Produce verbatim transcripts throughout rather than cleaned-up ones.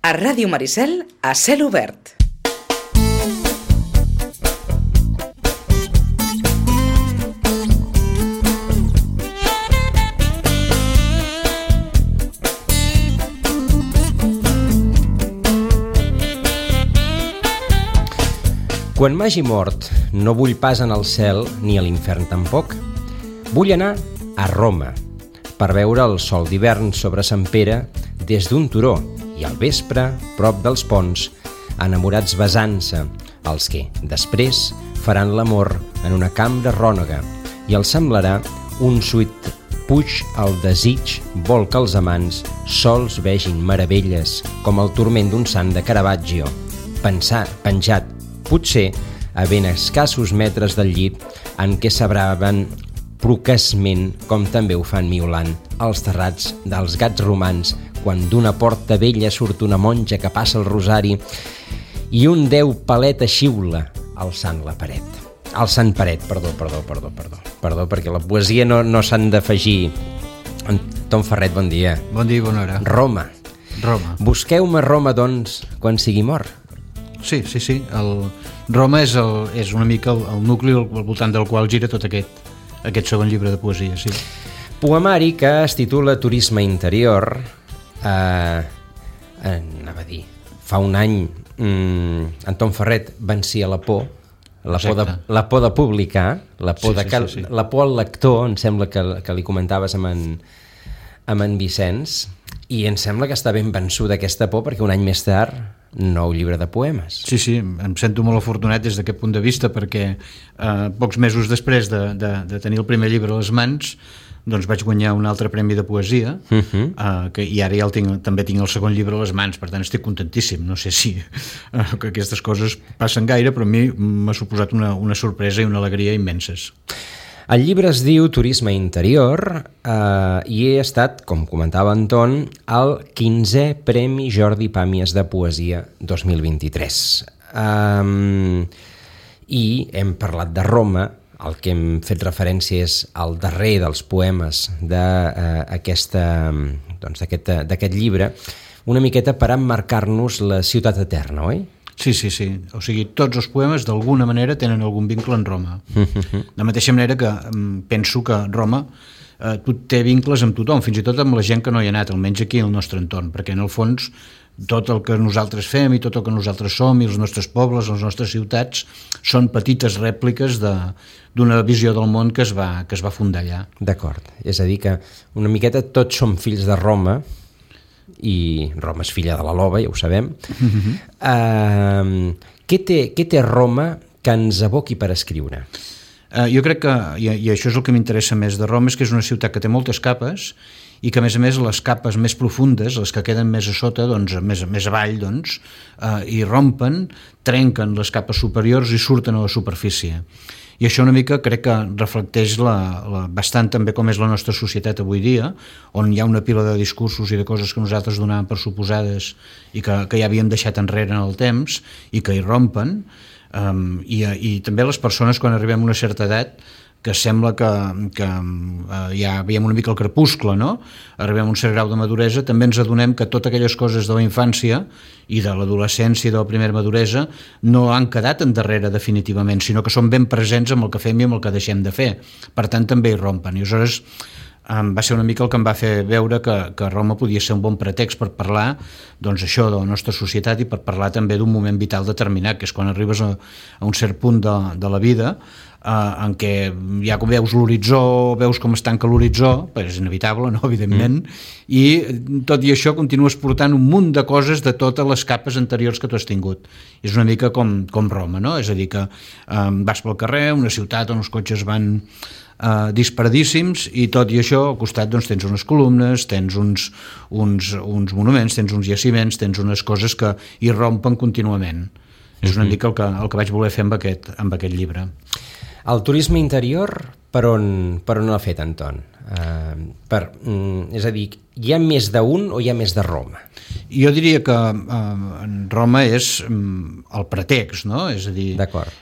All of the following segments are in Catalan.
A Ràdio Maricel, a cel obert. Quan m'hagi mort, no vull pas anar al cel ni a l'infern tampoc. Vull anar a Roma per veure el sol d'hivern sobre Sant Pere des d'un turó i al vespre, prop dels ponts, enamorats besant-se, els que, després, faran l'amor en una cambra rònega i els semblarà un suït puig al desig vol que els amants sols vegin meravelles com el turment d'un sant de Caravaggio, pensar, penjat, potser a ben escassos metres del llit en què s'abraven procaçment, com també ho fan miolant, els terrats dels gats romans, quan d'una porta vella surt una monja que passa el rosari i un déu paleta xiula alçant la paret. Alçant paret, perdó, perdó, perdó, perdó, perdó, perquè la poesia no, no s'han d'afegir. Tom Ferret, bon dia. Bon dia i bona hora. Roma. Roma. Busqueu-me Roma, doncs, quan sigui mort. Sí, sí, sí. El Roma és, el, és una mica el, el nucli al, al voltant del qual gira tot aquest, aquest segon llibre de poesia, sí. Poemari que es titula Turisme interior. Eh, anava a dir, fa un any mm, en Tom Ferret vencia la por, la por, de, la por de publicar, la por, sí, de cal, sí, sí, sí. la por al lector, em sembla que, que li comentaves amb en, amb en Vicenç, i em sembla que està ben vençuda aquesta por perquè un any més tard nou llibre de poemes. Sí, sí, em sento molt afortunat des d'aquest punt de vista perquè eh, pocs mesos després de, de, de tenir el primer llibre a les mans doncs vaig guanyar un altre premi de poesia uh-huh. eh, que, i ara ja el tinc, també tinc el segon llibre a les mans, per tant estic contentíssim. No sé si eh, que aquestes coses passen gaire, però a mi m'ha suposat una, una sorpresa i una alegria immenses. El llibre es diu Turisme interior eh, i he estat, com comentava Anton, al quinzè Premi Jordi Pàmies de Poesia dos mil vint-i-tres. Um, I hem parlat de Roma, el que hem fet referència és al darrer dels poemes d'aquest uh, doncs, d'aquest llibre, una miqueta per emmarcar-nos la ciutat eterna, oi? Sí, sí, sí. O sigui, tots els poemes d'alguna manera tenen algun vincle amb Roma. De la mateixa manera que um, penso que Roma eh, tot té vincles amb tothom, fins i tot amb la gent que no hi ha anat, almenys aquí al nostre entorn, perquè en el fons tot el que nosaltres fem i tot el que nosaltres som i els nostres pobles, les nostres ciutats són petites rèpliques de, d'una visió del món que es va, que es va fundar allà. D'acord. És a dir que una miqueta tots som fills de Roma i Roma és filla de la Loba, ja ho sabem. Uh-huh. Uh, què, té, què té Roma que ens aboqui per escriure? Uh, jo crec que, i, i això és el que m'interessa més de Roma, és que és una ciutat que té moltes capes i que a més a més les capes més profundes, les que queden més a sota, doncs, més, més avall, doncs, uh, i rompen, trenquen les capes superiors i surten a la superfície. I això una mica crec que reflecteix la, la, bastant també com és la nostra societat avui dia, on hi ha una pila de discursos i de coses que nosaltres donàvem per suposades i que, que ja havíem deixat enrere en el temps i que hi rompen, um, i, i també les persones quan arribem a una certa edat que sembla que, que uh, ja veiem una mica el crepuscle, no? Arribem a un cert grau de maduresa, també ens adonem que totes aquelles coses de la infància i de l'adolescència i de la primera maduresa no han quedat endarrere definitivament, sinó que són ben presents amb el que fem i amb el que deixem de fer. Per tant, també hi rompen. I aleshores um, va ser una mica el que em va fer veure que, que Roma podia ser un bon pretext per parlar doncs, això de la nostra societat i per parlar també d'un moment vital determinat, que és quan arribes a, a un cert punt de, de la vida Uh, en què ja com veus l'horitzó, veus com es tanca l'horitzó, perquè és inevitable, no? Evidentment, mm. i tot i això continues portant un munt de coses de totes les capes anteriors que tu has tingut. És una mica com, com Roma, no? És a dir, que um, vas pel carrer, una ciutat on els cotxes van uh, disparadíssims i tot i això al costat doncs, tens unes columnes, tens uns, uns, uns monuments, tens uns jaciments, tens unes coses que hi rompen contínuament. Mm-hmm. És una mica el que, el que vaig voler fer amb aquest, amb aquest llibre. El turisme interior, per on, per on l'ha fet, Anton? Uh, per, um, és a dir, hi ha més d'un o hi ha més de Roma? Jo diria que uh, Roma és um, el pretext, no? És a dir,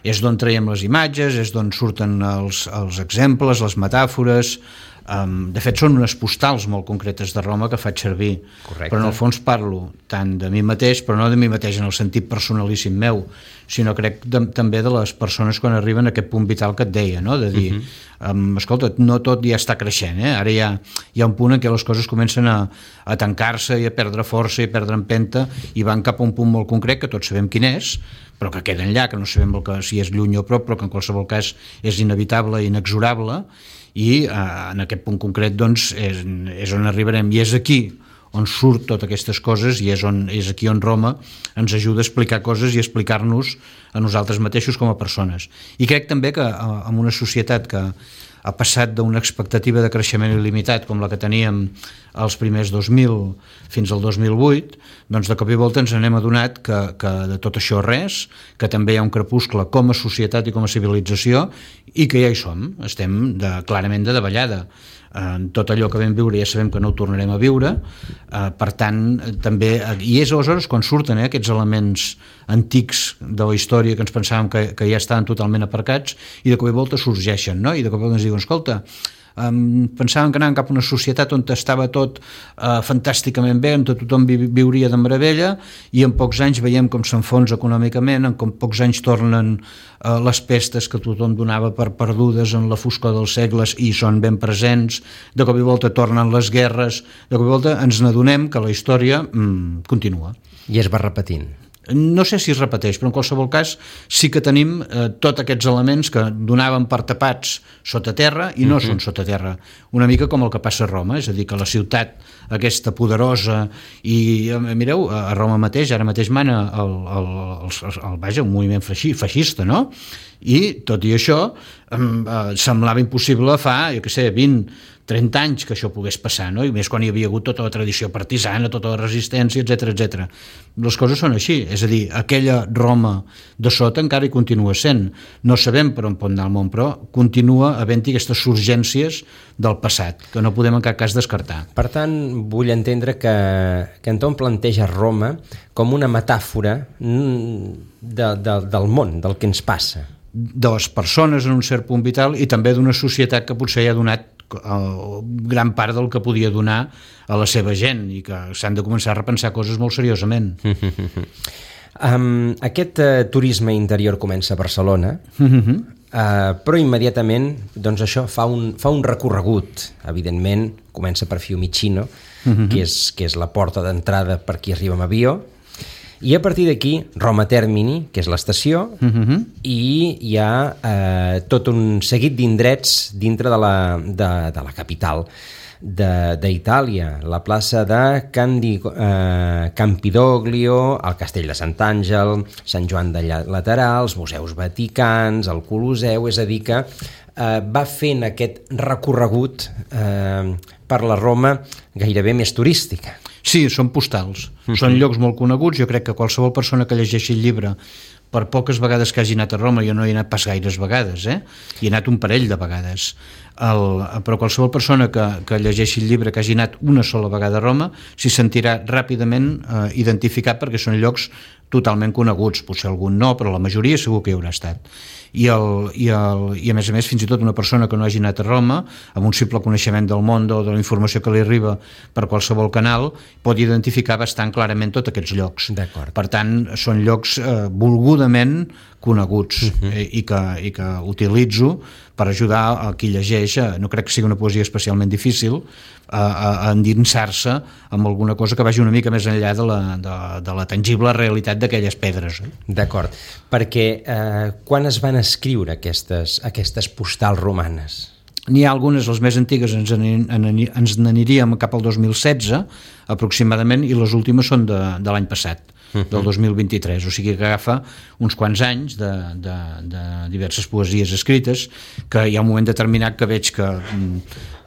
és d'on traiem les imatges, és d'on surten els, els exemples, les metàfores, Um, de fet, són unes postals molt concretes de Roma que faig servir. Correcte. Però en el fons parlo tant de mi mateix, però no de mi mateix en el sentit personalíssim meu, sinó crec de, també de les persones quan arriben a aquest punt vital que et deia, no? De dir, uh-huh. um, escolta, no tot ja està creixent, eh? Ara hi ha, hi ha un punt en què les coses comencen a, a tancar-se i a perdre força i a perdre empenta i van cap a un punt molt concret que tots sabem quin és, però que queda enllà, que no sabem el que, si és lluny o prop, però que en qualsevol cas és inevitable i inexorable, i eh, en aquest punt concret doncs, és, és on arribarem, i és aquí on surt totes aquestes coses, i és, on, és aquí on Roma ens ajuda a explicar coses i a explicar-nos a nosaltres mateixos com a persones. I crec també que en una societat que ha passat d'una expectativa de creixement il·limitat com la que teníem als primers dos mil fins al dos mil vuit, doncs de cop i volta ens n'hem adonat que, que de tot això res, que també hi ha un crepuscle com a societat i com a civilització, i que ja hi som, estem de, clarament de davallada. Eh, tot allò que vam viure ja sabem que no ho tornarem a viure, eh, per tant també, i és aleshores quan surten eh, aquests elements antics de la història que ens pensàvem que, que ja estaven totalment aparcats i de cop i volta sorgeixen, no? I de cop i volta ens diuen, escolta, Um, pensàvem que anàvem cap a una societat on estava tot uh, fantàsticament bé, on tothom vi viuria de meravella, i en pocs anys veiem com s'enfonsa econòmicament, en com pocs anys tornen uh, les pestes que tothom donava per perdudes en la foscor dels segles i són ben presents, de cop i volta tornen les guerres, de cop i volta ens n'adonem que la història mm, continua. I es va repetint. No sé si es repeteix, però en qualsevol cas sí que tenim eh, tots aquests elements que donaven per tapats sota terra i no uh-huh. són sota terra, una mica com el que passa a Roma, és a dir, que la ciutat aquesta poderosa i mireu, a Roma mateix, ara mateix mana el, el, el, el, el, vaja, un moviment feixista, no? I tot i això eh, semblava impossible fa, jo què sé, vint, trenta anys que això pogués passar, no? I més quan hi havia hagut tota la tradició partisana, tota la resistència, etcètera, etcètera. Les coses són així, és a dir, aquella Roma de sota encara hi continua sent. No sabem per on pot anar el món, però continua havent-hi aquestes surgències del passat, que no podem en cap cas descartar. Per tant, vull entendre que, que Anton planteja Roma com una metàfora de, de, del món, del que ens passa. De les persones en un cert punt vital i també d'una societat que potser ja ha donat gran part del que podia donar a la seva gent i que s'han de començar a repensar coses molt seriosament. um, aquest uh, turisme interior comença a Barcelona, uh-huh. uh, però immediatament doncs això fa un, fa un recorregut. Evidentment comença per Fiumicino, uh-huh. que, és, que és la porta d'entrada per qui arriba amb avió, i a partir d'aquí Roma Termini, que és l'estació, uh-huh. i hi ha eh, tot un seguit d'indrets dintre de la, de, de la capital d'Itàlia, la plaça de Candi, eh, Campidoglio, el Castell de Sant'Àngel, Sant Joan de Laterà, els museus vaticans, el Colosseu, és a dir que eh, va fent aquest recorregut eh, per la Roma gairebé més turística. Sí, són postals, uh-huh. són llocs molt coneguts. Jo crec que qualsevol persona que llegeixi el llibre, per poques vegades que hagi anat a Roma, jo no he anat pas gaires vegades, eh? Hi he anat un parell de vegades, el, però qualsevol persona que, que llegeixi el llibre, que hagi anat una sola vegada a Roma, s'hi sentirà ràpidament eh, identificat, perquè són llocs totalment coneguts, potser algun no, però la majoria segur que hi haurà estat. I, el, i, el, i a més a més fins i tot una persona que no hagi anat a Roma, amb un simple coneixement del món o de la informació que li arriba per qualsevol canal, pot identificar bastant clarament tots aquests llocs. Per tant, són llocs eh, volgudament coneguts uh-huh. eh, i, que, i que utilitzo per ajudar a qui llegeix, no crec que sigui una poesia especialment difícil, a, a, a endinsar-se amb alguna cosa que vagi una mica més enllà de la, de, de la tangible realitat d'aquelles pedres. Eh? D'acord, perquè eh, quan es van escriure aquestes, aquestes postals romanes? N'hi ha algunes, les més antigues ens n'aniríem cap al dos mil setze aproximadament, i les últimes són de, de l'any passat, uh-huh. del dos mil vint-i-tres, o sigui que agafa uns quants anys de, de, de diverses poesies escrites, que hi ha un moment determinat que veig que,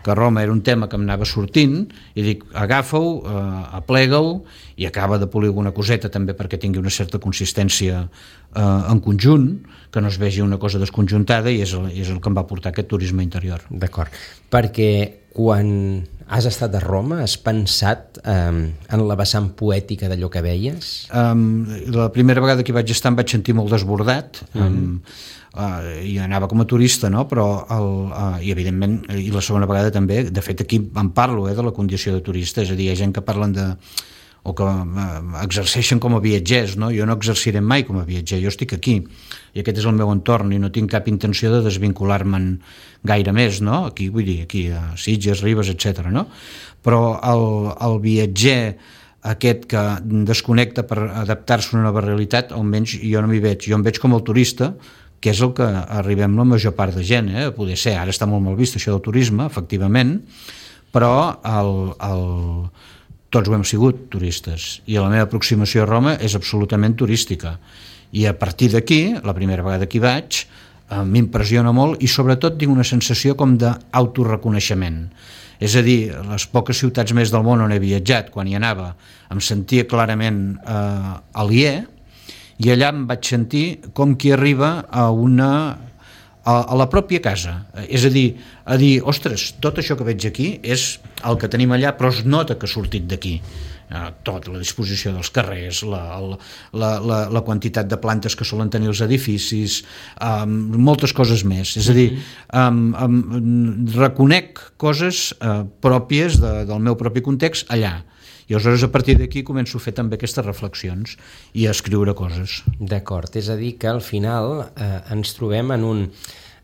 que Roma era un tema que em anava sortint, i dic, agafa-ho, eh, aplega-ho, i acaba de polir alguna coseta també perquè tingui una certa consistència eh, en conjunt, que no es vegi una cosa desconjuntada, i és el, és el que em va portar aquest turisme interior. D'acord, perquè quan Has estat a Roma? Has pensat um, en la vessant poètica d'allò que veies? Um, la primera vegada que hi vaig estar em vaig sentir molt desbordat, mm-hmm. um, uh, i anava com a turista, no? Però el, uh, i evidentment, i la segona vegada també, de fet aquí en parlo, eh, de la condició de turista, és a dir, hi ha gent que parlen de o que uh, exerceixen com a viatgers, no? Jo no exerciré mai com a viatger, jo estic aquí i aquest és el meu entorn i no tinc cap intenció de desvincular-me'n gaire més, no? Aquí, vull dir, aquí a Sitges, Ribes, etcètera, no? Però el, el viatger aquest que desconnecta per adaptar-se a una nova realitat, almenys jo no m'hi veig, jo em veig com el turista, que és el que arribem la major part de gent, eh? Poder ser, ara està molt mal vist això del turisme, efectivament, però el, el tots ho hem sigut turistes i la meva aproximació a Roma és absolutament turística i a partir d'aquí, la primera vegada que hi vaig, eh, m'impressiona molt i sobretot tinc una sensació com d'autoreconeixement, és a dir, les poques ciutats més del món on he viatjat, quan hi anava em sentia clarament eh, aliè i allà em vaig sentir com qui arriba a una a la pròpia casa, és a dir, a dir, ostres, tot això que veig aquí és el que tenim allà, però es nota que ha sortit d'aquí. Tot, la disposició dels carrers, la, la, la, la quantitat de plantes que solen tenir els edificis, um, moltes coses més. És a dir, um, um, reconec coses uh, pròpies de, del meu propi context allà. I aleshores a partir d'aquí començo a fer també aquestes reflexions i a escriure coses. D'acord, és a dir que al final eh, ens trobem en un,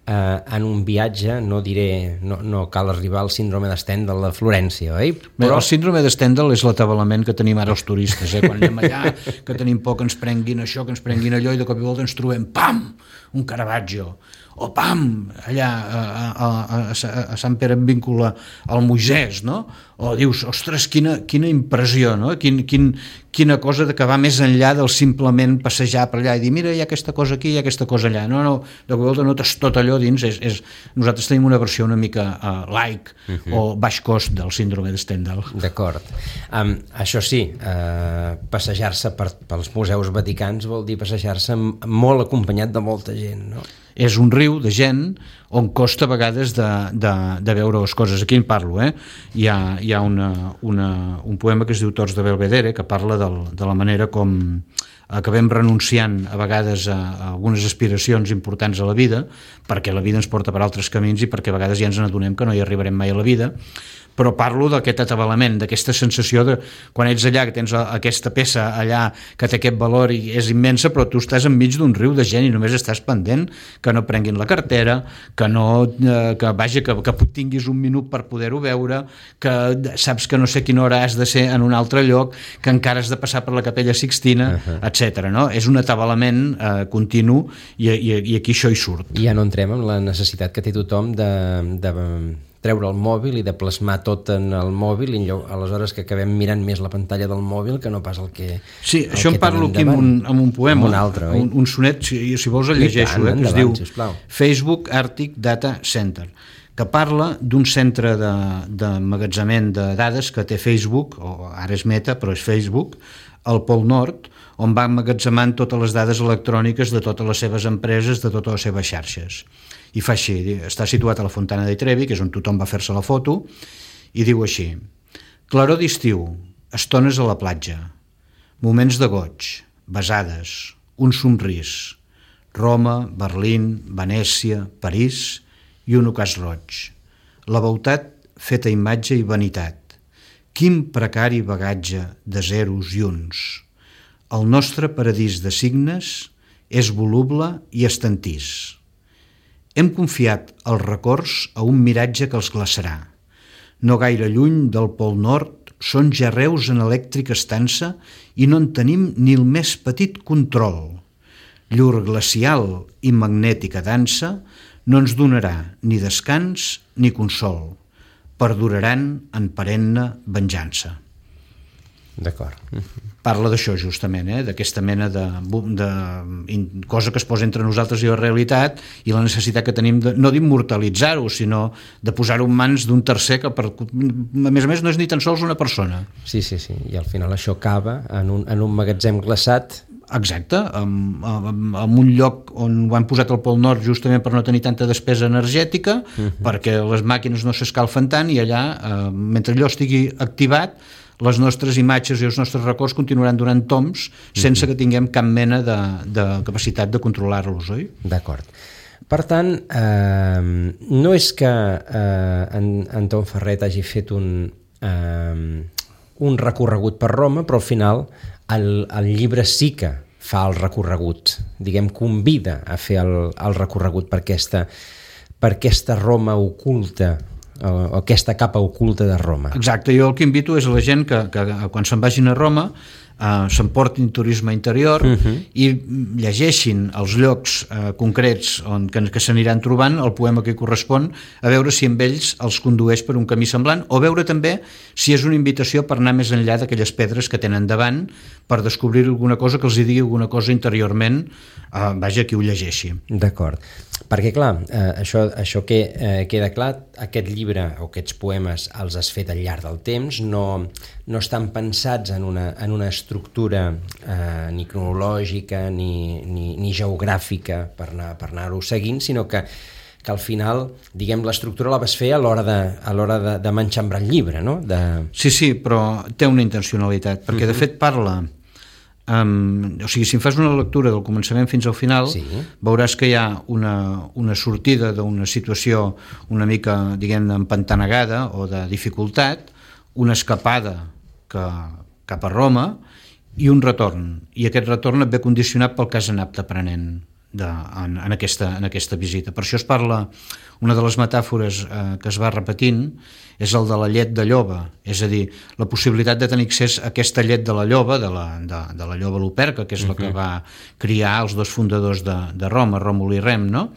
eh, en un viatge, no diré, no, no cal arribar al síndrome de Stendhal de Florència, oi? Però el síndrome de Stendhal és l'atabalament que tenim ara els turistes, eh? Quan anem allà, que tenim por que ens prenguin això, que ens prenguin allò, i de cop i volta ens trobem, pam, un Caravaggio, o pam, allà a, a, a, a Sant Pere en vincula al Moisès, no? O dius, ostres, quina, quina impressió, no? Quin, quin, quina cosa de que va més enllà del simplement passejar per allà i dir, mira, hi ha aquesta cosa aquí, hi ha aquesta cosa allà. No, no, de volta notes tot allò dins. És, és, nosaltres tenim una versió una mica uh, light uh-huh. o baix cost del síndrome de Stendhal. D'acord. Um, això sí, uh, passejar-se per, pels museus vaticans vol dir passejar-se molt acompanyat de molta gent, no? És un riu de gent on costa a vegades de, de, de veure les coses. Aquí en parlo, eh? Hi ha, hi ha una, una, un poema que es diu Tots de Belvedere, que parla del, de la manera com acabem renunciant a vegades a, a algunes aspiracions importants a la vida, perquè la vida ens porta per altres camins i perquè a vegades ja ens n'adonem que no hi arribarem mai a la vida, però parlo d'aquest atabalament, d'aquesta sensació de quan ets allà, que tens aquesta peça allà que té aquest valor i és immensa, però tu estàs enmig d'un riu de gent i només estàs pendent que no prenguin la cartera, que no, eh, que vaja, que, que tinguis un minut per poder-ho veure, que saps que no sé quina hora has de ser en un altre lloc, que encara has de passar per la Capella Sixtina, uh-huh. etcètera. No? És un atabalament eh, continu i, i, i aquí això hi surt. I ja no entrem en la necessitat que té tothom de... de treure el mòbil i de plasmar tot en el mòbil i aleshores que acabem mirant més la pantalla del mòbil que no pas el que Sí, el això que en parlo aquí amb un, amb un poema, un, altre, un, un sonet, si, si vols el llegeixo, tant, eh, que endavant, es diu sisplau. Facebook Arctic Data Center, que parla d'un centre de, de magatzemament de dades que té Facebook, o ara és Meta, però és Facebook, al Pol Nord, on va emmagatzemant totes les dades electròniques de totes les seves empreses, de totes les seves xarxes. I fa així, està situat a la Fontana dei Trevi, que és on tothom va fer-se la foto, i diu així: claror d'estiu, estones a la platja, moments de goig, besades, un somrís, Roma, Berlín, Venècia, París i un ocàs roig. La beutat feta imatge i vanitat. Quin precari bagatge de zeros i uns. El nostre paradís de signes és voluble i estantís. Hem confiat els records a un miratge que els glaçarà. No gaire lluny del Pol Nord són jarreus en elèctrica estança i no en tenim ni el més petit control. Llur glacial i magnètica dansa no ens donarà ni descans ni consol. Perduraran en perenne venjança. D'acord. Parla d'això justament, eh? D'aquesta mena de, de cosa que es posa entre nosaltres i la realitat i la necessitat que tenim de, no d'immortalitzar-ho, sinó de posar-ho en mans d'un tercer que per, a més a més no és ni tan sols una persona. Sí, sí, sí, i al final això acaba en un, en un magatzem glaçat Exacte, en, en, en un lloc on ho han posat al Pol Nord justament per no tenir tanta despesa energètica, uh-huh. perquè les màquines no s'escalfen tant, i allà, eh, mentre allò estigui activat, les nostres imatges i els nostres records continuaran donant toms sense uh-huh. que tinguem cap mena de, de capacitat de controlar-los, oi? D'acord. Per tant, eh, no és que eh, en, en Tom Ferret hagi fet un, eh, un recorregut per Roma, però al final el, el llibre sí que fa el recorregut, diguem, convida a fer el, el recorregut per aquesta, per aquesta Roma oculta, o aquesta capa oculta de Roma. Exacte, jo el que invito és a la gent que, que quan se'n vagin a Roma Uh, s'emportin turisme interior uh-huh. i llegeixin els llocs uh, concrets on, que, que s'aniran trobant el poema que hi correspon, a veure si amb ells els condueix per un camí semblant, o veure també si és una invitació per anar més enllà d'aquelles pedres que tenen davant, per descobrir alguna cosa que els hi digui alguna cosa interiorment, uh, vaja, qui ho llegeixi. D'acord, perquè clar, eh, això, això que eh, queda clar, aquest llibre o aquests poemes els has fet al llarg del temps, no, no estan pensats en una, en una estructura eh, ni cronològica ni, ni, ni geogràfica per anar, per anar-ho seguint, sinó que, que al final, diguem, l'estructura la vas fer a l'hora de, a l'hora de, de manxambrar el llibre, no? De... Sí, sí, però té una intencionalitat, perquè uh-huh. de fet parla... Um, o sigui, si em fas una lectura del començament fins al final, sí. veuràs que hi ha una, una sortida d'una situació una mica, diguem, empantanegada o de dificultat, una escapada que, cap a Roma i un retorn, i aquest retorn et ve condicionat pel que has anat aprenent de, en, en, aquesta, en aquesta visita. Per això es parla, una de les metàfores eh, que es va repetint és el de la llet de lloba, és a dir, la possibilitat de tenir accés a aquesta llet de la lloba, de la, de, de la lloba Luperca, que és la que va criar els dos fundadors de, de Roma, Ròmul i Rem, no?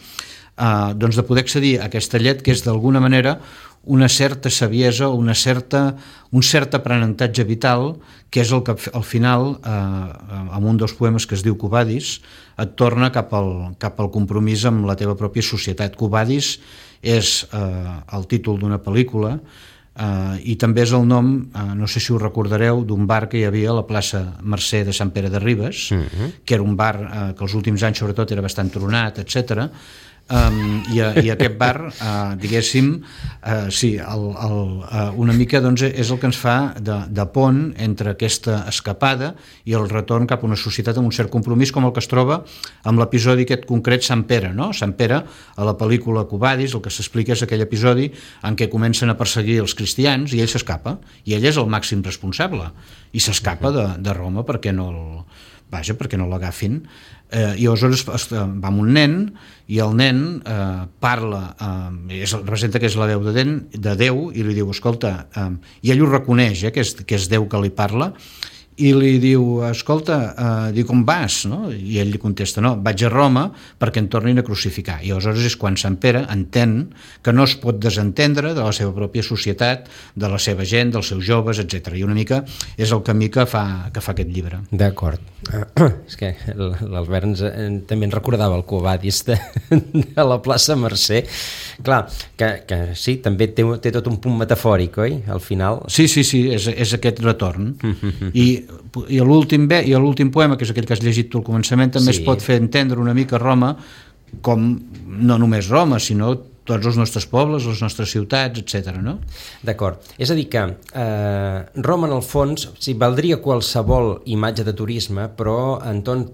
Uh, doncs de poder accedir a aquesta llet que és d'alguna manera una certa saviesa, una certa, un cert aprenentatge vital, que és el que al final, eh, en un dels poemes que es diu Quo Vadis, et torna cap al, cap al compromís amb la teva pròpia societat. Quo Vadis és eh, el títol d'una pel·lícula eh, i també és el nom, eh, no sé si ho recordareu, d'un bar que hi havia a la plaça Mercè de Sant Pere de Ribes, uh-huh. que era un bar eh, que els últims anys sobretot era bastant tronat, etcètera. Um, i, a, i aquest bar, uh, diguéssim, uh, sí, el, el, uh, una mica doncs, és el que ens fa de, de pont entre aquesta escapada i el retorn cap a una societat amb un cert compromís, com el que es troba amb l'episodi aquest concret Sant Pere, no? Sant Pere, a la pel·lícula Quo Vadis, el que s'explica és aquell episodi en què comencen a perseguir els cristians i ell s'escapa, i ell és el màxim responsable, i s'escapa de, de Roma perquè no el, vaja, perquè no l'agafin. Eh, i aleshores va amb un nen i el nen eh, parla, eh, és, representa que és la veu de, den, de Déu, i li diu, escolta, eh, i ell ho reconeix, eh, que, és, que és Déu que li parla, i li diu, escolta, eh, diu, com vas? No? I ell li contesta, no, vaig a Roma perquè em tornin a crucificar. I aleshores és quan Sant Pere entén que no es pot desentendre de la seva pròpia societat, de la seva gent, dels seus joves, etcètera. I una mica és el camí que fa, que fa aquest llibre. D'acord. Uh, és que l'Albert ens, eh, també ens recordava el Quo Vadis de, de la plaça Mercè. Clar, que, que sí, també té, té tot un punt metafòric, oi? Al final... Sí, sí, sí, és, és aquest retorn. I i l'últim i l'últim poema, que és aquell que has llegit tu al començament, també sí. es pot fer entendre una mica Roma com no només Roma, sinó tots els nostres pobles, les nostres ciutats, etcètera, no? D'acord. És a dir que eh, Roma, en el fons, sí, valdria qualsevol imatge de turisme, però, Anton,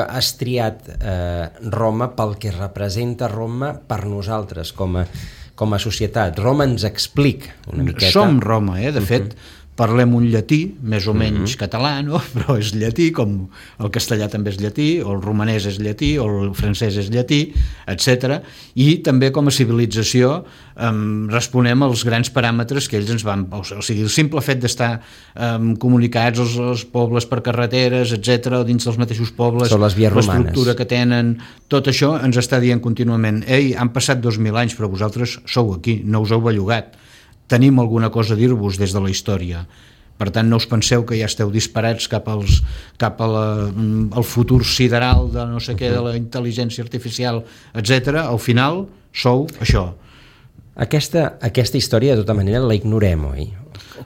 has triat eh, Roma pel que representa Roma per nosaltres, com a, com a societat. Roma ens explica una miqueta... Som Roma, eh? De fet... Uh-huh. Parlem un llatí, més o menys mm-hmm. català, no? Però és llatí, com el castellà també és llatí, o el romanès és llatí, o el francès és llatí, etcètera. I també com a civilització um, responem als grans paràmetres que ells ens van... O sigui, el simple fet d'estar um, comunicats als, als pobles per carreteres, etcètera, o dins dels mateixos pobles, l'estructura que tenen, tot això ens està dient contínuament, ei, han passat dos mil anys, però vosaltres sou aquí, no us heu bellugat. Tenim alguna cosa a dir-vos des de la història. Per tant, no us penseu que ja esteu disparats cap, als, cap a la, al futur sideral de no sé què, de la intel·ligència artificial, etcètera. Al final, sou això. Aquesta, aquesta història, de tota manera, la ignorem, oi?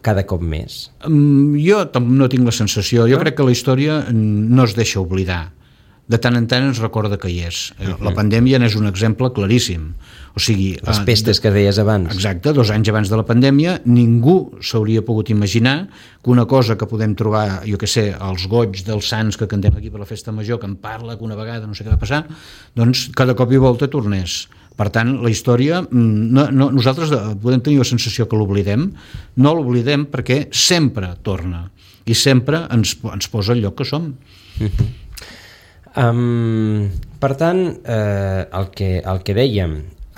cada cop més? Um, jo no tinc la sensació. Jo no? crec que la història no es deixa oblidar. De tant en tant ens recorda que hi és. Uh-huh. La pandèmia n'és un exemple claríssim. O sigui, les pestes de, que deies abans. Exacte, dos anys abans de la pandèmia ningú s'hauria pogut imaginar que una cosa que podem trobar, jo què sé, als goigs dels sants que cantem aquí per la festa major, que en parla, que una vegada no sé què va passar, doncs cada cop i volta tornés. Per tant, la història, no, no, nosaltres podem tenir la sensació que l'oblidem, no l'oblidem perquè sempre torna i sempre ens, ens posa al lloc que som. Uh-huh. Um, per tant, eh, el, que, el que dèiem,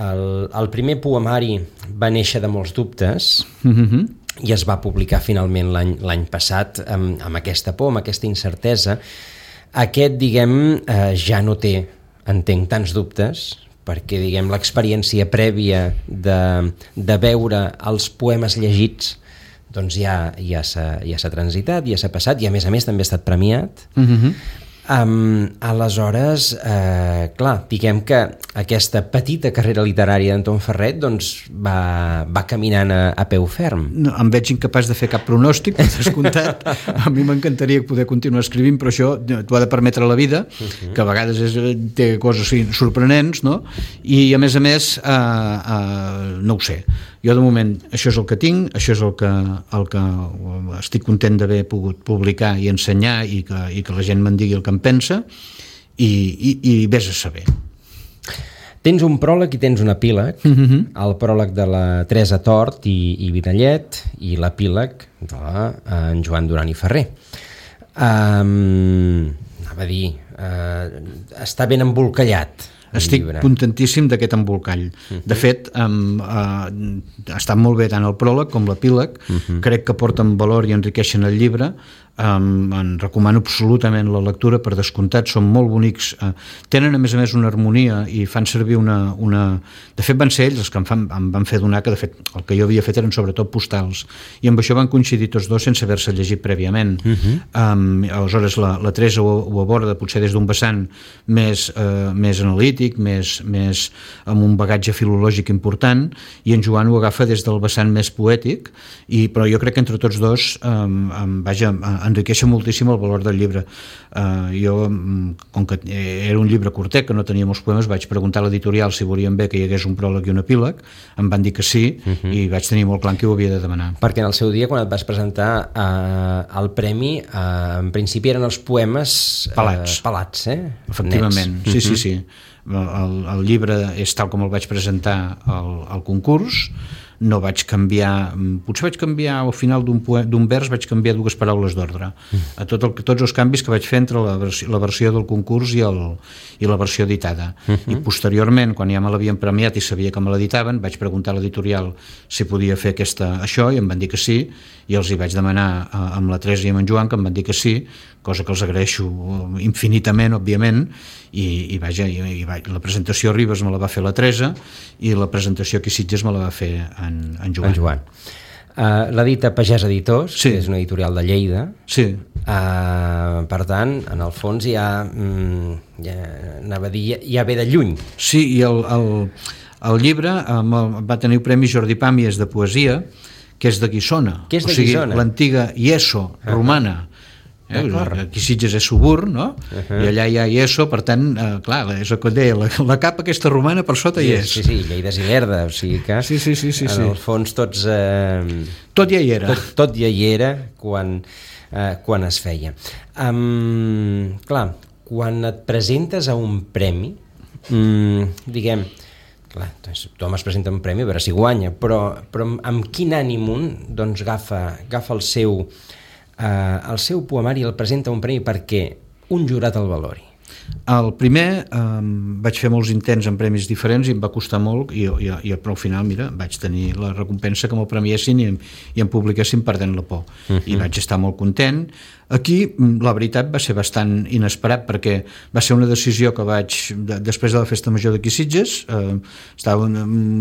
el, el primer poemari va néixer de molts dubtes uh-huh. i es va publicar finalment l'any, l'any passat amb, amb aquesta por, amb aquesta incertesa. Aquest, diguem, eh, ja no té, entenc, tants dubtes, perquè, diguem, l'experiència prèvia de, de veure els poemes llegits doncs ja, ja, s'ha, ja s'ha transitat, ja s'ha passat, i a més a més també ha estat premiat. Uh-huh. Um, aleshores, eh, clar, diguem que aquesta petita carrera literària d'Anton Ferret doncs, va, va caminant a, a peu ferm. No, em veig incapaç de fer cap pronòstic, per descomptat. A mi m'encantaria poder continuar escrivint, però això t'ho ha de permetre la vida, uh-huh. que a vegades és, té coses sorprenents, no? I a més a més, eh, eh, no ho sé. Jo de moment això és el que tinc, això és el que, el que estic content d'haver pogut publicar i ensenyar i que, i que la gent me'n digui el que em pensa i, i, i vés a saber. Tens un pròleg i tens un epíleg, uh-huh. el pròleg de la Teresa Tort i, i Vidallet i l'epíleg de la, en Joan Duran i Ferrer. Um, anava a dir, uh, està ben embolcallat. Estic contentíssim d'aquest embolcall. Uh-huh. De fet, um, uh, està molt bé tant el pròleg com l'epíleg. Uh-huh. Crec que porten valor i enriqueixen el llibre. Um, en recomano absolutament la lectura, per descomptat, són molt bonics, uh, tenen a més a més una harmonia i fan servir una... una... de fet van ser ells els que em, fan, em van fer donar, que de fet el que jo havia fet eren sobretot postals, i amb això van coincidir tots dos sense haver-se llegit prèviament. Uh-huh. um, aleshores la, la Teresa ho, ho aborda potser des d'un vessant més, uh, més analític, més, més amb un bagatge filològic important, i en Joan ho agafa des del vessant més poètic, i, però jo crec que entre tots dos um, um, vaja, enriqueixa moltíssim el valor del llibre. Uh, jo, com que era un llibre curtet, que no tenia molts poemes, vaig preguntar a l'editorial si volien bé que hi hagués un pròleg i un epíleg, em van dir que sí, uh-huh. i vaig tenir molt clar que ho havia de demanar. Perquè en el seu dia, quan et vas presentar uh, el premi, uh, en principi eren els poemes uh, pelats, pelats eh? Efectivament, nets. sí, uh-huh. sí, sí. El, el llibre és tal com el vaig presentar al, al concurs, no vaig canviar, potser vaig canviar al final d'un, poe, d'un vers vaig canviar dues paraules d'ordre. A tot el, tots els canvis que vaig fer entre la versió, la versió del concurs i, el, i la versió editada. Uh-huh. I posteriorment, quan ja me l'havien premiat i sabia que me l'editaven, vaig preguntar a l'editorial si podia fer aquesta, això, i em van dir que sí, i els hi vaig demanar a, amb la Teresa i amb en Joan, que em van dir que sí, cosa que els agraeixo infinitament, òbviament, i, i, vaja, i, i vaja, la presentació a Ribes me la va fer la Teresa i la presentació aquí a Sitges me la va fer en, en Joan. En Joan. Uh, l'edita Pagès Editors, sí. que és una editorial de Lleida. Sí. Uh, per tant, en el fons ja, mm, ja anava a dir, ja, ja ve de lluny. Sí, i el, el, el llibre um, va tenir el Premi Jordi Pàmies de poesia, que és de Guissona. Que és de o sigui, Guissona? L'antiga Ieso uh-huh. romana. Eh, aquí Sitges és Subur, no? Uh-huh. I allà hi ha Ieso, per tant, eh, clar, és el que et deia, la, la capa aquesta romana per sota sí, hi és. Sí, sí, Lleida és Ilerda, o sigui que sí, sí, sí, sí, en sí. el fons tots... Eh, tot ja hi era. Tot, tot ja hi era quan, eh, quan es feia. Um, clar, quan et presentes a un premi, um, diguem, clar, doncs, tothom es presenta un premi a veure si guanya, però, però amb quin ànim un doncs, agafa, agafa el seu... Uh, el seu poemari el presenta un premi perquè un jurat el valori. El primer um, vaig fer molts intents en premis diferents i em va costar molt i, i, i però al final, mira, vaig tenir la recompensa que me'l premiessin i, i em publiquessin perdent la por. Uh-huh. I vaig estar molt content. Aquí, la veritat, va ser bastant inesperat perquè va ser una decisió que vaig, de, després de la festa major d'aquí Sitges, eh, estava,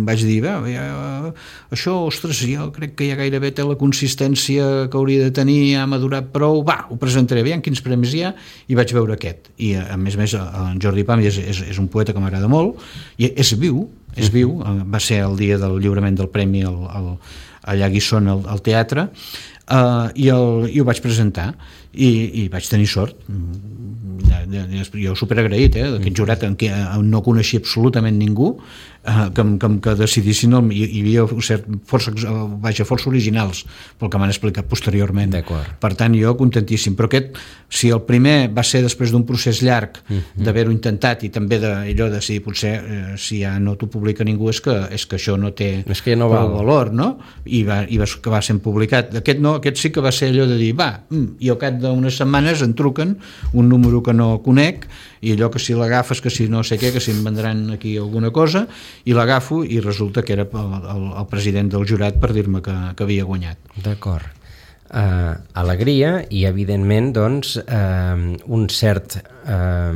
vaig dir, ja, això, ostres, jo crec que ja gairebé té la consistència que hauria de tenir, ja m'ha durat prou, va, ho presentaré, aviam quins premis hi ha, i vaig veure aquest. I a més més a més en Jordi Pam és, és, és un poeta que m'agrada molt, i és viu, és viu, va ser el dia del lliurament del premi al, al, allà a Guissona al, al teatre, uh, i, el, i ho vaig presentar, i, i vaig tenir sort. Jo superagraït, eh, d'aquest jurat en què no coneixia absolutament ningú, eh, que, que, que decidissin el, hi, hi havia cert, força, vaja, força originals pel que m'han explicat posteriorment. Per tant, jo contentíssim, però aquest, si el primer va ser després d'un procés llarg uh-huh. d'haver-ho intentat, i també d'allò de si potser eh, si ja no t'ho publica ningú és que, és que això no té és que ja no val. valor, no? I va, i va, que va ser publicat. Aquest no, aquest sí que va ser allò de dir, va, mm, i al cap d'unes setmanes em truquen un número que no conec, i allò que si l'agafes, que si no sé què, que si em vendran aquí alguna cosa, i l'agafo i resulta que era el, el, el president del jurat per dir-me que, que havia guanyat. D'acord. Uh, alegria i evidentment doncs uh, un cert uh,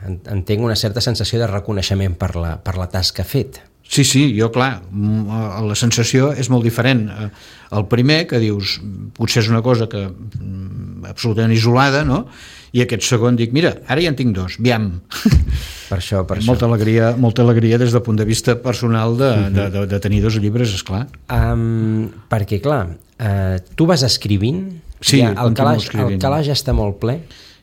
entenc una certa sensació de reconeixement per la, per la tasca fet. Sí, sí, jo clar, la sensació és molt diferent. El primer que dius, potser és una cosa que absolutament isolada, no? I aquest segon dic, mira, ara ja en tinc dos, aviam. Per això, per molta això. Alegria, molta alegria des del punt de vista personal de, uh-huh. de, de, de tenir dos llibres, esclar. Um, perquè, clar, uh, tu vas escrivint, sí, ja, el, calaix, escrivint. el calaix està molt ple.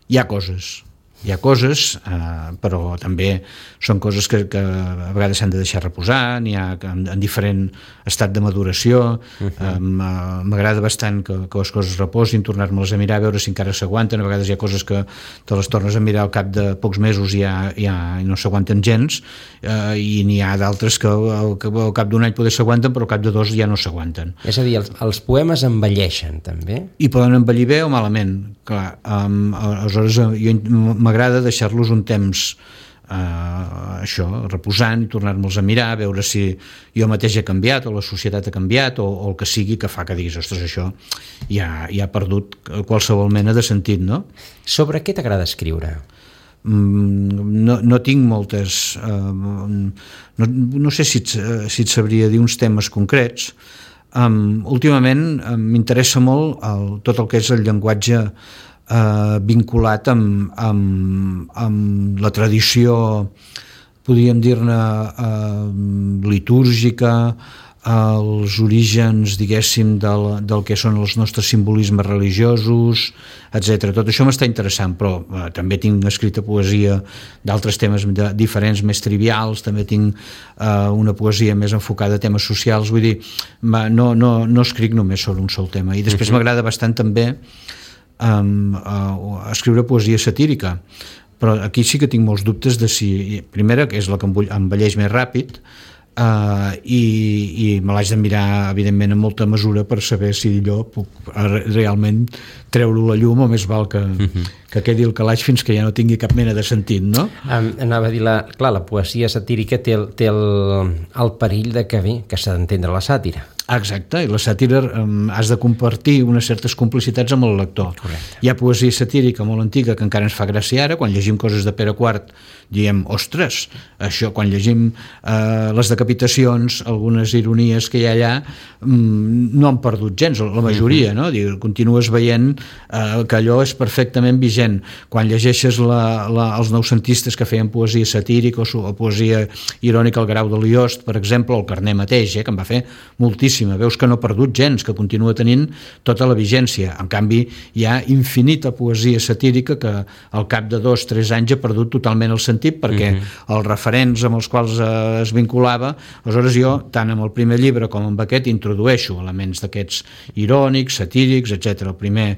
Hi ha coses, hi ha coses, eh, però també són coses que, que a vegades s'han de deixar reposar, n'hi ha en, en diferent estat de maduració. Uh-huh. eh, m'agrada bastant que, que les coses reposin, tornar-me-les a mirar, a veure si encara s'aguanten. A vegades hi ha coses que te les tornes a mirar al cap de pocs mesos i ja, ja no s'aguanten gens, eh, i n'hi ha d'altres que al, al cap d'un any poder s'aguanten, però al cap de dos ja no s'aguanten. És a dir, els, els poemes envelleixen també? I poden envellir bé o malament, clar. Um, aleshores jo m'agrada deixar-los un temps Uh, això, reposant, tornar-me'ls a mirar, veure si jo mateix he canviat o la societat ha canviat o, o el que sigui que fa que diguis, ostres, això ja, ja ha perdut qualsevol mena de sentit, no? Sobre què t'agrada escriure? Mm, no, no tinc moltes uh, no, no sé si et, si et sabria dir uns temes concrets. Um, últimament um, m'interessa molt el, tot el que és el llenguatge Uh, vinculat amb, amb, amb la tradició, podríem dir-ne, uh, litúrgica, els orígens, diguéssim, del, del que són els nostres simbolismes religiosos, etcètera. Tot això m'està interessant, però uh, també tinc escrita poesia d'altres temes de, diferents, més trivials, també tinc uh, una poesia més enfocada a temes socials, vull dir, no, no, no escric només sobre un sol tema. I després m'agrada bastant també Um, uh, escriure poesia satírica, però aquí sí que tinc molts dubtes de si, primera, que és la que envelleix més ràpid, uh, i, i me l'haig de mirar evidentment en molta mesura per saber si jo puc realment treure-ho a la llum o més val que, uh-huh. que quedi el calaix fins que ja no tingui cap mena de sentit, no? Um, anava a dir, la, clar, la poesia satírica té, el, té el, el perill de que bé, que s'ha d'entendre la sàtira. Exacte, i la sàtira um, has de compartir unes certes complicitats amb el lector. Correcte. Hi ha poesia satírica molt antiga que encara ens fa gràcia ara, quan llegim coses de Pere quart diem, ostres, això, quan llegim uh, les decapitacions, algunes ironies que hi ha allà, um, no han perdut gens, la majoria, uh-huh. no? Diu, continues veient uh, que allò és perfectament vigent. Quan llegeixes la, la, els noucentistes que feien poesia satírica o, o poesia irònica, el Grau de Liost, per exemple, o el Carner mateix, eh, que en va fer moltíssima, veus que no ha perdut gens, que continua tenint tota la vigència. En canvi, hi ha infinita poesia satírica que al cap de dos, tres anys ha perdut totalment el sentit, perquè uh-huh. els referents amb els quals eh, es vinculava, aleshores jo, tant amb el primer llibre com amb aquest, introdueixo elements d'aquests irònics, satírics, etcètera. El primer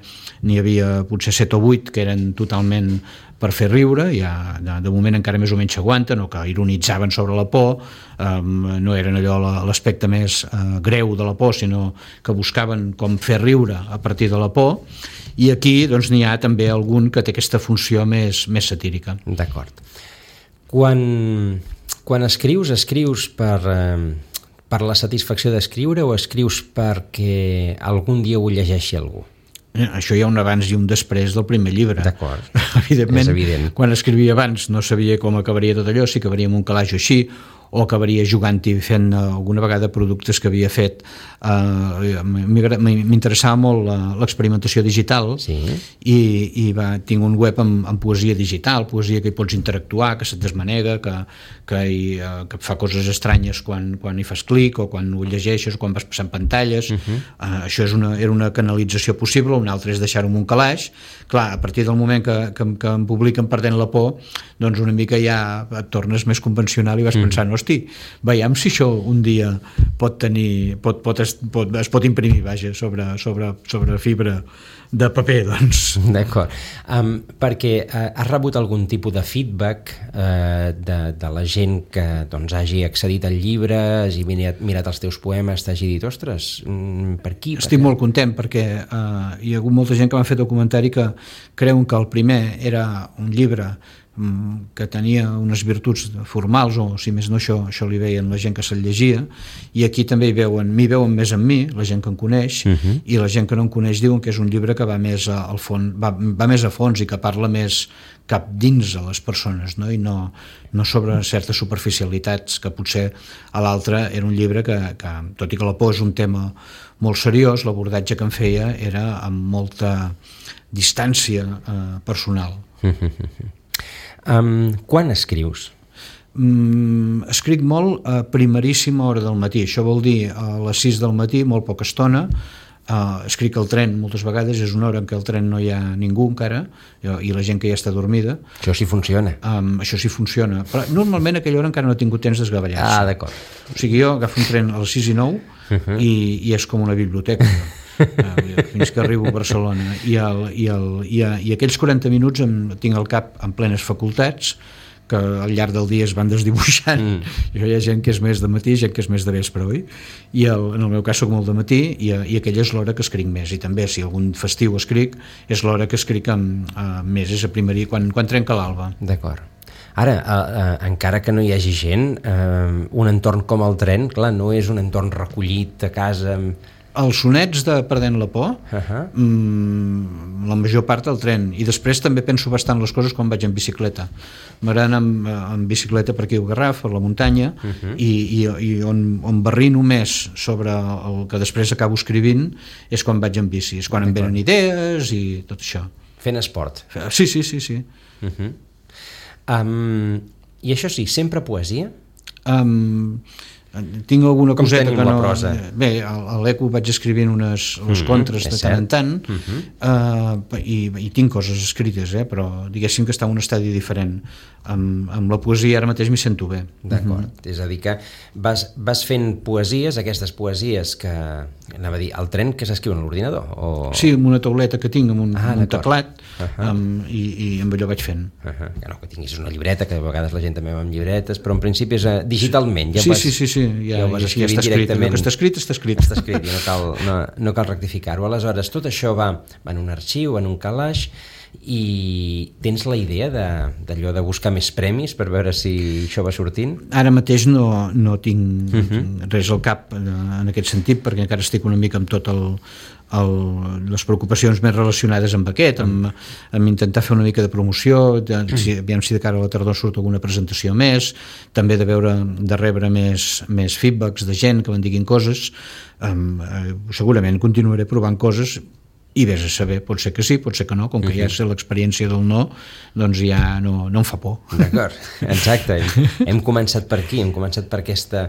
n'hi havia potser set o vuit que eren totalment per fer riure, ja de, de moment encara més o menys s'aguanten, o que ironitzaven sobre la por, um, no eren allò l'aspecte més uh, greu de la por, sinó que buscaven com fer riure a partir de la por, i aquí doncs n'hi ha també algun que té aquesta funció més, més satírica. D'acord. Quan, quan escrius, escrius per, eh, per la satisfacció d'escriure o escrius perquè algun dia ho llegeixi algú? Això hi ha un abans i un després del primer llibre. D'acord, evidentment, és evident. Quan escrivia abans no sabia com acabaria tot allò, si acabaria amb un calaix així, o acabaria jugant-hi fent alguna vegada productes que havia fet. Uh, m'interessava molt l'experimentació digital, sí. i, i va, tinc un web amb, amb poesia digital, poesia que hi pots interactuar, que se't desmanega, que, que, hi, uh, que fa coses estranyes quan, quan hi fas clic o quan ho llegeixes o quan vas passant pantalles. Uh-huh. uh, això és una, era una canalització possible. Una altra és deixar-ho en un calaix. Clar, a partir del moment que, que, que em publiquen perdent la por, doncs una mica ja et tornes més convencional i vas uh-huh. pensant, hosti, veiem si això un dia pot tenir, pot, pot, es, pot, es pot imprimir, vaja, sobre, sobre, sobre fibra de paper, doncs. D'acord. Um, perquè uh, has rebut algun tipus de feedback uh, de, de la gent que doncs, hagi accedit al llibre, hagi mirat, mirat els teus poemes, t'hagi dit, ostres, mm, per aquí? Estic per molt content perquè uh, hi ha hagut molta gent que m'ha fet el comentari que creuen que el primer era un llibre que tenia unes virtuts formals, o si més no això, això li veien la gent que se'l llegia, i aquí també hi veuen, m'hi veuen més en mi, la gent que em coneix, uh-huh. i la gent que no em coneix diuen que és un llibre que va més al fons, va, va més a fons i que parla més cap dins a les persones, no? I no, no sobre certes superficialitats, que potser a l'altre era un llibre que, que, tot i que la por és un tema molt seriós, l'abordatge que em feia era amb molta distància eh, personal. Uh-huh. Um, quan escrius? Mm, escric molt a primeríssima hora del matí, això vol dir a les sis del matí, molt poca estona. Uh, escric al tren moltes vegades, és una hora en què al tren no hi ha ningú encara, i la gent que ja està dormida. Això sí funciona. Um, això sí funciona, però normalment a aquella hora encara no he tingut temps d'esgavellar-se. Ah, d'acord. O sigui, jo agafo un tren a les sis i nou uh-huh. i, i és com una biblioteca. uh, fins que arribo a Barcelona i, el, i, el, i, a, i aquells quaranta minuts em, tinc el cap en plenes facultats que al llarg del dia es van desdibuixant. Mm. I hi ha gent que és més de matí, gent que és més de vespre, oi? I el, en el meu cas soc molt de matí, i, i aquella és l'hora que escric més, i també si algun festiu escric és l'hora que escric amb, amb més, és a primerí, quan, quan trenca l'alba. D'acord. Ara, eh, eh, encara que no hi hagi gent, eh, un entorn com el tren, clar, no és un entorn recollit a casa amb... Els sonets de Perdent la por, uh-huh. mmm, la major part del tren, i després també penso bastant les coses quan vaig en bicicleta. M'agrada anar amb, amb bicicleta per aquí al Garraf, per la muntanya, uh-huh. i, i, i on, on barrino més sobre el que després acabo escrivint és quan vaig en bici, és quan em venen idees i tot això. Fent esport. Sí, sí, sí, sí. Uh-huh. um, I això sí, sempre poesia? Um, tinc alguna Com coseta que no... Prosa? Bé, a l'Eco vaig escrivint unes, unes mm-hmm, contres de tant en tant, mm-hmm. uh, i, i tinc coses escrites, eh, però diguéssim que està en un estadi diferent. Amb, amb la poesia ara mateix m'hi sento bé. D'acord, mm-hmm. És a dir que vas, vas fent poesies, aquestes poesies que, anava a dir, el tren que s'escriuen a l'ordinador? O... Sí, amb una tauleta que tinc, amb un, ah, amb un teclat, uh-huh. amb, i, i amb allò vaig fent. Uh-huh. Que no, que tinguis una llibreta, que a vegades la gent també va amb llibretes, però en principi és uh, digitalment. Ja sí, vas, sí, sí, sí, ja, ja ho vas ja, ja està escrit. El que està escrit, està escrit. Està escrit, i no cal, no, no cal rectificar-ho. Aleshores, tot això va, va en un arxiu, en un calaix, i tens la idea d'allò de, de buscar més premis per veure si això va sortint? Ara mateix no, no tinc uh-huh. res al cap en aquest sentit, perquè encara estic una mica amb tot el, el, les preocupacions més relacionades amb aquest, amb, amb intentar fer una mica de promoció, de, si, aviam si de cara a la tardor surt alguna presentació més, també de veure, de rebre més, més feedbacks de gent que me'n diguin coses. Um, eh, segurament continuaré provant coses, i vés a saber, pot ser que sí, pot ser que no, com que uh-huh. ja sé l'experiència del no, doncs ja no, no em fa por. D'acord, exacte. Hem, hem començat per aquí, hem començat per aquesta,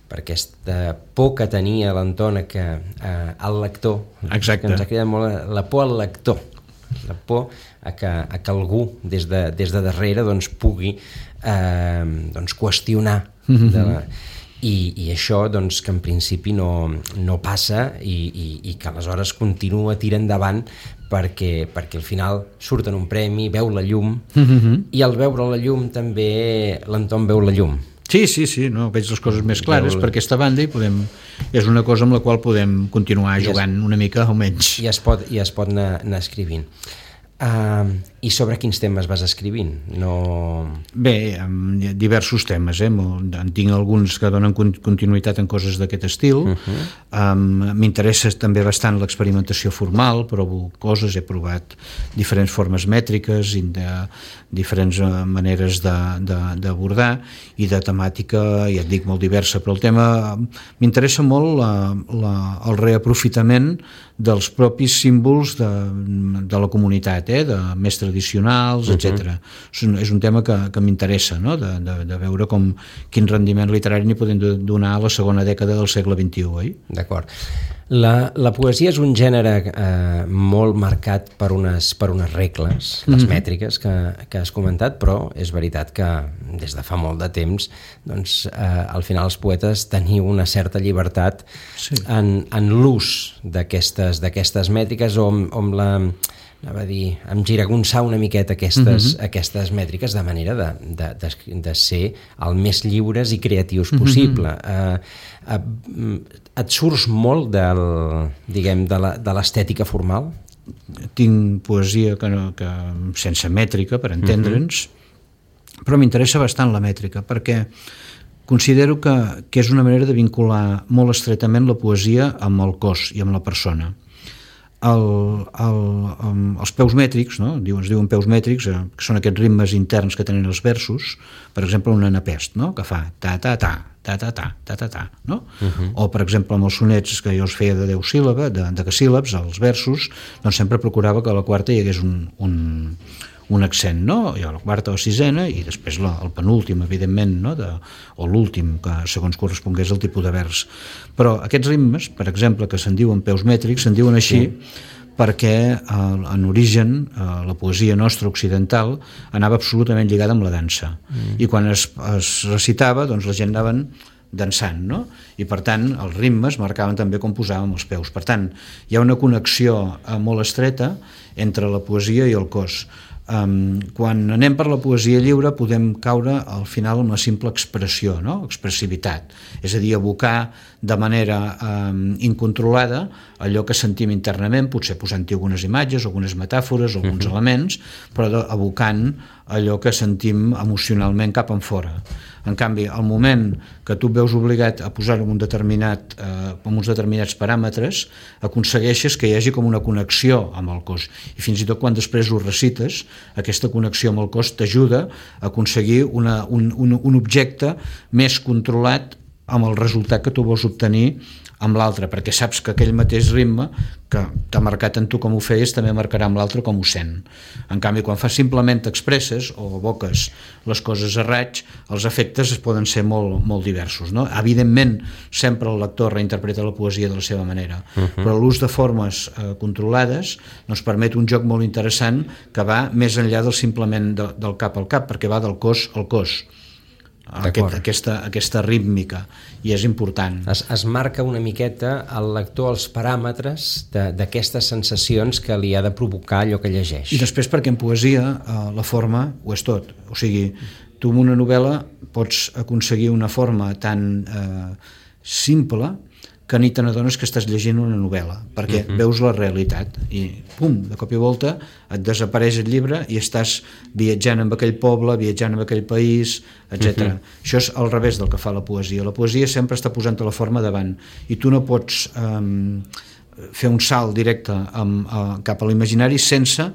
per aquesta por que tenia l'Antona que eh, el lector, exacte. Que ens ha cridat molt la por al lector, la por a que, a que algú des de, des de darrere doncs, pugui eh, doncs, qüestionar uh-huh. de la... I, i això doncs, que en principi no, no passa i, i, i que aleshores continua tira endavant perquè, perquè al final surt en un premi, veu la llum mm-hmm. i al veure la llum també l'Anton veu la llum. Sí, sí, sí, no, veig les coses més clares veu... per aquesta banda i podem, és una cosa amb la qual podem continuar jugant es, una mica almenys. I es pot, i es pot anar, anar escrivint. Uh, I sobre quins temes vas escrivint? No... Bé, hi ha diversos temes, eh? En tinc alguns que donen continuïtat en coses d'aquest estil. Uh-huh. um, M'interessa també bastant l'experimentació formal, provo coses, he provat diferents formes mètriques i de diferents maneres d'abordar i de temàtica, ja et dic, molt diversa, però el tema m'interessa molt la, la, el reaprofitament dels propis símbols de, de la comunitat, eh? De més tradicionals, etcètera. Uh-huh. És un tema que, que m'interessa, no? de, de, de veure com, quin rendiment literari n'hi podem donar a la segona dècada del segle vint-i-u. Eh? D'acord. La, la poesia és un gènere eh, molt marcat per unes, per unes regles, les mm-hmm. mètriques que, que has comentat, però és veritat que des de fa molt de temps doncs, eh, al final els poetes teniu una certa llibertat sí. en, en l'ús d'aquestes d'aquestes mètriques o amb, amb la... anava a dir, amb giragonçar una miqueta aquestes, mm-hmm. aquestes mètriques de manera de, de, de, de ser el més lliures i creatius possible. Mm-hmm. Uh, uh, et surts molt del, diguem, de l'estètica formal? Tinc poesia que no, que, sense mètrica, per entendre'ns, mm-hmm. però m'interessa bastant la mètrica, perquè considero que, que és una manera de vincular molt estretament la poesia amb el cos i amb la persona. El, el, els peus mètrics, no? es diuen peus mètrics, eh, que són aquests ritmes interns que tenen els versos, per exemple un anapest, no? Que fa ta-ta-ta, ta-ta-ta, ta-ta-ta, no? Uh-huh. O per exemple amb els sonets que jo els feia de deu síl·labes, de, de síl·labs, els versos, doncs sempre procurava que a la quarta hi hagués un, un, un accent, no? I a la quarta o sisena, i després la, el penúltim, evidentment, no? De, o l'últim, que segons correspongués al tipus de vers. Però aquests ritmes, per exemple, que se'n diuen peus mètrics, se'n diuen així sí. perquè eh, en origen eh, la poesia nostra occidental anava absolutament lligada amb la dansa. Mm. I quan es, es recitava, doncs la gent anaven dansant, no? I per tant els ritmes marcaven també com posàvem els peus. Per tant, hi ha una connexió eh, molt estreta entre la poesia i el cos. Um, quan anem per la poesia lliure podem caure al final en la simple expressió, no? Expressivitat, és a dir, abocar de manera um, incontrolada allò que sentim internament, potser posant-hi algunes imatges, algunes metàfores, alguns uh-huh. elements, però de, abocant allò que sentim emocionalment cap en fora. En canvi, al moment que tu et veus obligat a posar-ho en un determinat, eh, amb uns determinats paràmetres, aconsegueixes que hi hagi com una connexió amb el cos. I fins i tot quan després ho recites, aquesta connexió amb el cos t'ajuda a aconseguir una, un, un, un objecte més controlat amb el resultat que tu vols obtenir amb l'altre, perquè saps que aquell mateix ritme que t'ha marcat en tu com ho feies també marcarà amb l'altre com ho sent. En canvi, quan fas simplement expresses o evoques les coses a raig, els efectes poden ser molt, molt diversos, no? Evidentment, sempre el lector reinterpreta la poesia de la seva manera, uh-huh. però l'ús de formes eh, controlades ens permet un joc molt interessant que va més enllà del simplement de, del cap al cap, perquè va del cos al cos. Aquest, aquesta, aquesta rítmica, i és important. Es, es marca una miqueta al lector els paràmetres d'aquestes sensacions que li ha de provocar allò que llegeix. I després perquè en poesia eh, la forma ho és tot, o sigui, tu en una novel·la pots aconseguir una forma tan eh, simple que ni te n'adones que estàs llegint una novel·la, perquè uh-huh. veus la realitat i pum, de cop i volta et desapareix el llibre i estàs viatjant en aquell poble, viatjant en aquell país, etcètera. Uh-huh. Això és al revés del que fa la poesia. La poesia sempre està posant-te la forma davant i tu no pots um, fer un salt directe amb, uh, cap a l'imaginari sense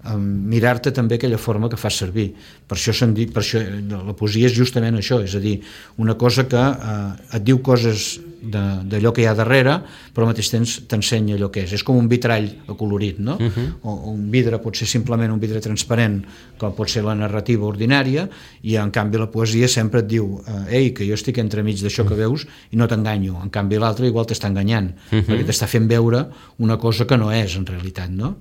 um, mirar-te també aquella forma que fas servir. Per això, se'n di, per això la poesia és justament això, és a dir, una cosa que uh, et diu coses d'allò que hi ha darrere, però al mateix temps t'ensenya allò que és. És com un vitrall acolorit, no? Uh-huh. O, o un vidre pot ser simplement un vidre transparent, com pot ser la narrativa ordinària, i en canvi la poesia sempre et diu ei, que jo estic entremig d'això que veus i no t'enganyo. En canvi l'altre igual t'està enganyant, uh-huh. perquè t'està fent veure una cosa que no és en realitat, no?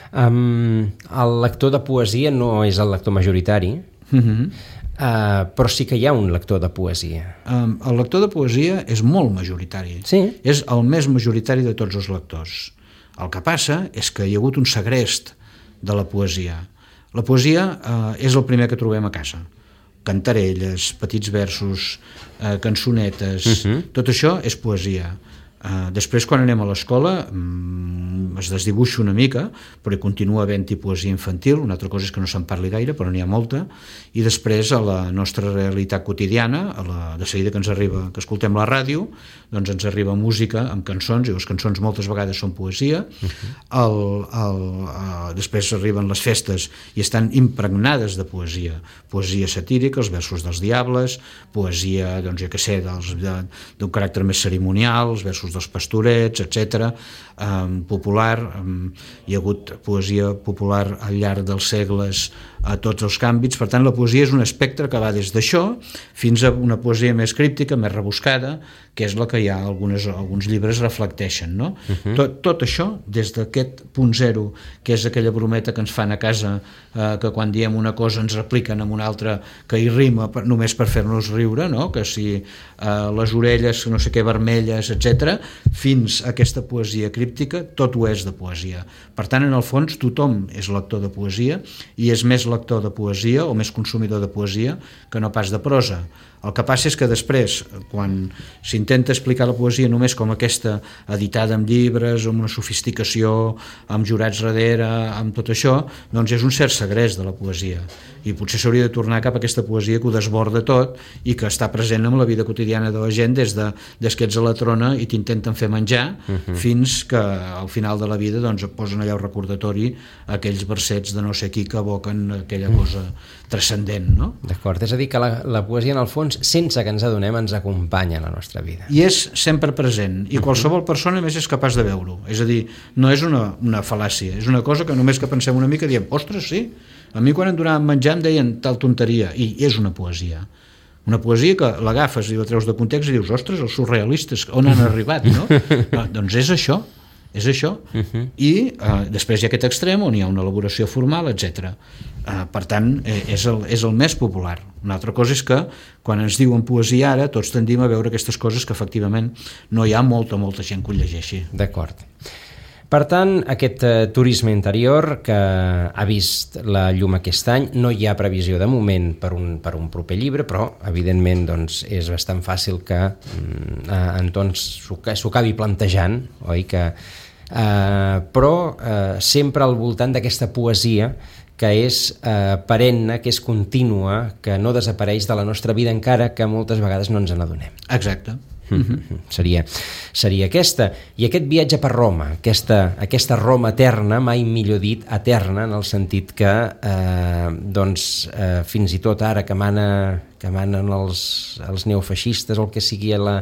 Um, el lector de poesia no és el lector majoritari, uh-huh. Uh, però sí que hi ha un lector de poesia. Um, el lector de poesia és molt majoritari. Sí? És el més majoritari de tots els lectors. El que passa és que hi ha hagut un segrest de la poesia. La poesia uh, és el primer que trobem a casa. Cantarelles, petits versos, uh, cançonetes, uh-huh. tot això és poesia. Uh, després, quan anem a l'escola, um, es desdibuixa una mica, però hi continua havent-hi poesia infantil. Una altra cosa és que no se'n parli gaire, però n'hi ha molta. I després, a la nostra realitat quotidiana, a la, de seguida que ens arriba, que escoltem la ràdio, doncs ens arriba música amb cançons, i les cançons moltes vegades són poesia. Uh-huh. el, el, uh, després arriben les festes i estan impregnades de poesia. Poesia satírica, els versos dels diables, poesia, doncs, jo què sé, dels, de, d'un caràcter més cerimonial, els versos dels pastorets, etcètera. Um, popular, um, hi ha hagut poesia popular al llarg dels segles a tots els àmbits. Per tant, la poesia és un espectre que va des d'això fins a una poesia més críptica, més rebuscada, que és la que ja algunes, alguns llibres reflecteixen, no? Uh-huh. tot, tot això, des d'aquest punt zero, que és aquella brometa que ens fan a casa, eh, que quan diem una cosa ens repliquen amb una altra que hi rima per, només per fer-nos riure, no? Que si eh, les orelles no sé què vermelles, etcètera, fins a aquesta poesia críptica, tot ho és de poesia. Per tant, en el fons, tothom és lector de poesia i és més lector de poesia o més consumidor de poesia que no pas de prosa. El que passa és que després, quan s'intenta explicar la poesia només com aquesta editada en llibres, amb una sofisticació, amb jurats darrere, amb tot això, doncs és un cert segrest de la poesia. I potser s'hauria de tornar cap a aquesta poesia que ho desborda tot i que està present en la vida quotidiana de la gent des, de, des que ets a la trona i t'intenten fer menjar, uh-huh, fins que al final de la vida doncs, et posen allà un recordatori aquells versets de no sé qui que evoquen aquella cosa transcendent, no? D'acord, és a dir que la, la poesia en el fons, sense que ens adonem, ens acompanya en la nostra vida. I és sempre present, i qualsevol persona més és capaç de veure-ho. És a dir, no és una, una fal·làcia, és una cosa que només que pensem una mica diem, ostres, sí, a mi quan em donaven menjar em deien tal tonteria, i és una poesia. Una poesia que l'agafes i la treus de context i dius, ostres, els surrealistes, on han arribat, no? Ah, doncs és això, és això. Uh-huh. I eh, després hi ha aquest extrem on hi ha una elaboració formal, etcètera. Eh, per tant, eh, és, el, és el més popular. Una altra cosa és que quan ens diuen poesia ara tots tendim a veure aquestes coses que efectivament no hi ha molta, molta gent que ho llegeixi. D'acord. Per tant, aquest eh, turisme interior que ha vist la llum aquest any, no hi ha previsió de moment per un, per un proper llibre, però evidentment doncs, és bastant fàcil que mm, Anton s'ho acabi plantejant, oi? Que, eh, però eh, sempre al voltant d'aquesta poesia que és eh, perenne, que és contínua, que no desapareix de la nostra vida encara que moltes vegades no ens n'adonem. Exacte. Mm-hmm. seria, seria aquesta. I aquest viatge per Roma, aquesta, aquesta Roma eterna, mai millor dit eterna, en el sentit que eh, doncs, eh, fins i tot ara que, mana, que manen els, els neofeixistes o el que sigui a la,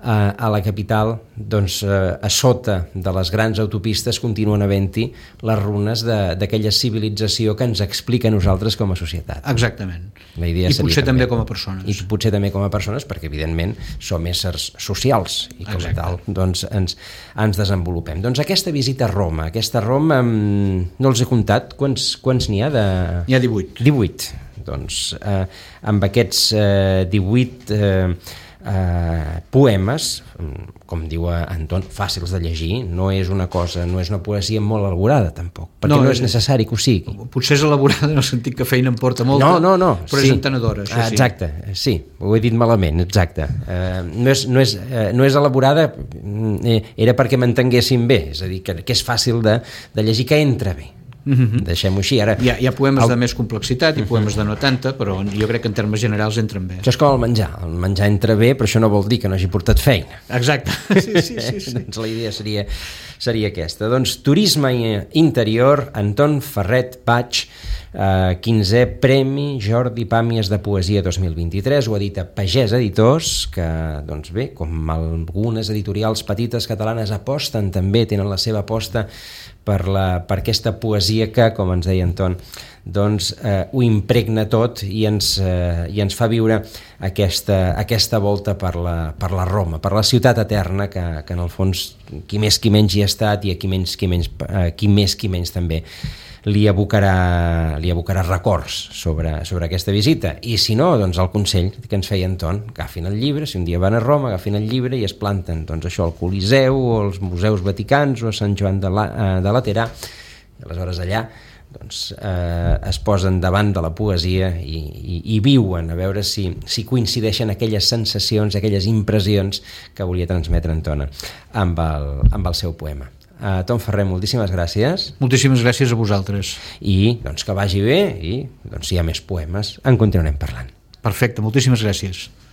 a, a la capital, doncs eh, a sota de les grans autopistes continuen havent-hi les runes d'aquella civilització que ens explica a nosaltres com a societat. Exactament. La idea I potser també, també com a persones. I potser també com a persones, perquè evidentment som éssers socials i com a tal doncs, ens, ens desenvolupem. Doncs aquesta visita a Roma, aquesta Roma, no els he comptat, quants, quants n'hi ha? De... N'hi ha divuit. divuit. Doncs eh, amb aquests eh, divuit eh, eh, poemes, com diu Anton, fàcils de llegir, no és una cosa, no és una poesia molt elaborada tampoc, perquè no, no és necessari que ho sigui. Potser és elaborada en el sentit que feina en porta molta, no, no, no, però sí. És entenedora, això sí. Exacte, sí, ho he dit malament, exacte. Eh, no, és, no, és, eh, no és elaborada, eh, era perquè m'entenguessin bé, és a dir, que, que és fàcil de, de llegir, que entra bé. Mm-hmm. Deixem-ho així. Ara, hi, ha, hi ha poemes el... de més complexitat i mm-hmm. poemes de no tanta, però jo crec que en termes generals entren bé. Això és com el menjar, el menjar entra bé, però això no vol dir que no hagi portat feina. Exacte, sí, sí, sí, sí. Doncs la idea seria, seria aquesta. Doncs turisme interior, Anton Ferret Paig, eh, quinzè Premi Jordi Pàmies de Poesia dos mil vint-i-tres, ho edita Pagès Editors, que, doncs bé, com algunes editorials petites catalanes aposten també, tenen la seva aposta per, la, per aquesta poesia que, com ens deia Anton, doncs eh, ho impregna tot i ens, eh, i ens fa viure aquesta, aquesta volta per la, per la Roma, per la ciutat eterna que, que en el fons qui més qui menys hi ha estat i a qui, menys, qui, menys, eh, qui més qui menys també li abocarà, li abocarà records sobre, sobre aquesta visita. I si no, doncs el consell que ens feia Anton, agafin el llibre, si un dia van a Roma, agafin el llibre i es planten doncs això al Coliseu o als museus vaticans o a Sant Joan de, la, de Laterà, i aleshores allà doncs, eh, es posen davant de la poesia i, i, i viuen, a veure si, si coincideixen aquelles sensacions, aquelles impressions que volia transmetre Antona amb el, amb el seu poema. Uh, Tom Ferrer, moltíssimes gràcies. Moltíssimes gràcies a vosaltres. I doncs, que vagi bé i doncs, si hi ha més poemes en continuarem parlant. Perfecte, moltíssimes gràcies.